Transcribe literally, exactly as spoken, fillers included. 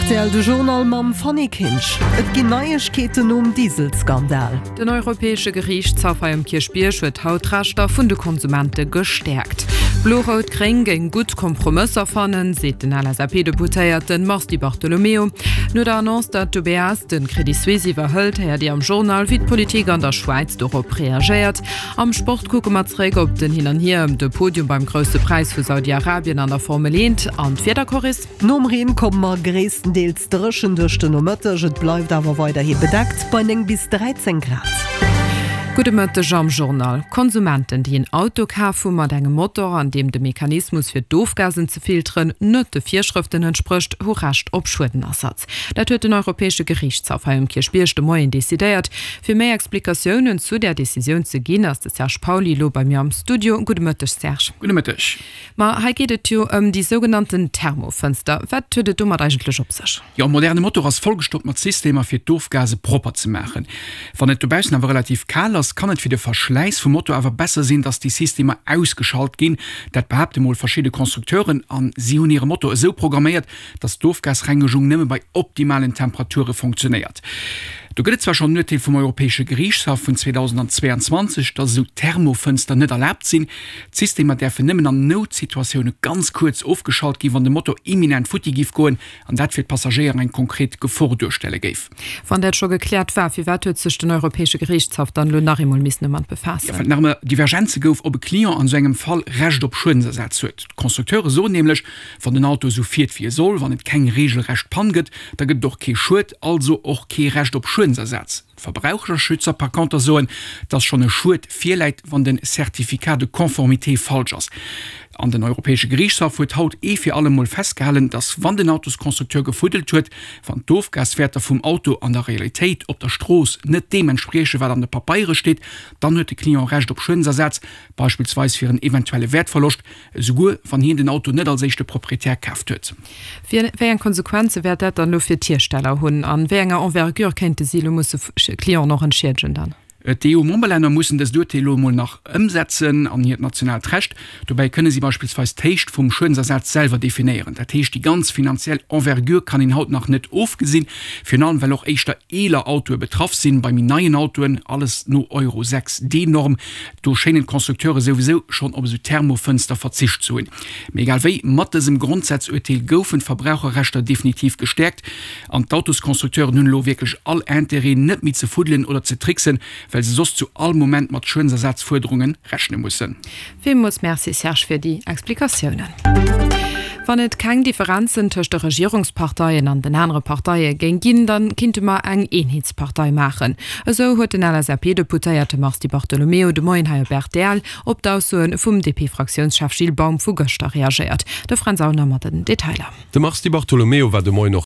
Rtl, De Journal mam Fanny Kinsch. Et ginn Neiegkeeten nom Dieselskandal. Den Europäesche Geriichtshaff hei um Kierchbierg huet haut d'Rechter vun de Konsumente gestäerkt. Blo-Rout-Gréng géing gutt Kompromësser fannen, seet den L S A P-Deputéierte Mars Di Bartolomeo. No der Annonce, datt d'U B S de Credit Suisse iwwerhëlt, héiert Dir am Journal, wéi d'Politik an der Schwäiz dorop reagéiert. Am Sport kucke mer zeréck op den Hin an Hier ëm de Podium beim Grousse Präis vu Saudi-Arabien an der Formel eent. An d'Wiederchorris? Nom Reen komme mer gréisstendeels dréchen duerch den Nomëtteg. Et bleift awer weiderhi bedeckt bei néng bis dräizéng Grad. Gudde Mëtteg am Journal. Konsumenten, déi en Auto kaf hu mat engem Motor, an deem de Mechanismus fir d'Ofgasen ze filteren net de Virschrëften entsprécht, hu Recht op Schuedenersatz. Dat huet den Europäesche Geriichtshaff hei um Kierchbierg de Moien decidéiert. Fir méi Explikatiounen zu där Decisioun ze ginn, ass de Serge Pauly elo bei mir am Studio. Gudde Mëtteg, Serge. Gudde Mëtteg. Ma hei geet et jo ëm déi sougenannten Thermofënster. Wat huet et domat eigentlech op sech? Jo, e moderne Motor ass vollgestoppt mat Systemer, fir d'Ofgase propper ze maachen. Wann et dobaussen awer relativ kal ass, kann et fir de Verschläiss vum Motor awer besser sinn, dass déi Systemer ausgeschalt ginn. Dat behaapte mol verschidde Constructeuren an si hunn hire Motor esou programméiert, dass d'Ofgasrengegung nëmme bei optimalen Temperature funktionéiert. Do gëtt et zwar schonn en Urteel vum Europäesche Geriichtshaff vun zweedausendzweianzwanzeg, dass esou Thermofënster net erlaabt sinn. D'Systemer däerfen nëmmen an Noutsituatioune ganz kuerz ofgeschalt ginn, wann de Motor imminent futti giff goen an dat fir d'Passagéier eng konkret Gefor duerstelle géif. Wann dat scho gekläert war, firwat huet sech den Europäesche Geriichtshaff dann elo nach eemol missen domat befaassen? Jo, well et nach ëmmer Divergenze gouf, ob e Client an esou engem Fall Recht op Schuedensersaz huet. D'Constructeure soen nämlech, wann den Auto esou fiert wéi e soll, wann et keng reegelrecht Pann gëtt, da gëtt et och kee Schued, also och kee Recht op Schuedensersaz. D'Verbraucherschützer par conter soen, dass schonn e Schued virläit, wann den Certificat de conformité falsch ass. An den Europäesche Geriichtshaff huet haut ee fir alle Mol festgehalen, dass wann den Autosconstructeur gefuddelt huet, wann d'Ofgaswäerter vum Auto an der Realitéit op der Strooss net deem entspriechen, wat an de Papeiere steet, dann huet de Client Recht op Schuedensersaz, beispillsweis fir en eventuelle Wäertverloscht, esouguer wann hien den Auto net als éischte Proprietär kaaft huet. Wéi eng Konsequenze wäert dat dann elo fir d'Hiersteller hunn? An wéi enger Envergure kéinte si elo musse Clienten och entschiedegen dann? D'E U-Memberlänner mussen dëst Urteel elo emol nach ëmsetzen an hiert nationaalt Recht. Dobäi kënne si beispillsweis d'Héicht vum Schuedensersaz selwer definéieren. Dat heescht, déi ganz finanziell Envergure kann een haut nach net ofgesinn, virun allem well och éischter eeler Autoe betraff sinn. Bei méi neien Autoen, alles no Euro sechs D-Norm, do schéinen d'Constructeure souwisou schonn op esou Thermofënster verzicht ze hunn. Mee egal wéi, mat dësem Grondsazurteel goufen d'Verbraucherrechter definitiv gestäerkt an d'Autosconstructeuren hunn elo wierklech all Interêt, net méi ze fuddelen oder ze tricksen, well se soss zu all Moment mat Schuedensersatzfuerderunge rechne mussen. Villmools Merci Serge fir déi Explikatiounen. Wann et keng Differenzen tëscht de Regierungsparteien an den anere Parteie géing ginn, dann kinnte mer eng Eenheetspartei maachen. Esou huet den L S A P-Deputéierte Mars Di Bartolomeo de Moien hei op R T L op d'Aussoe vum D P-Fraktiounschef Gilles Baum vu gëschter reagéiert. De Fränz Aulner mat den Detailer. De Mars Di Bartolomeo war de Moien och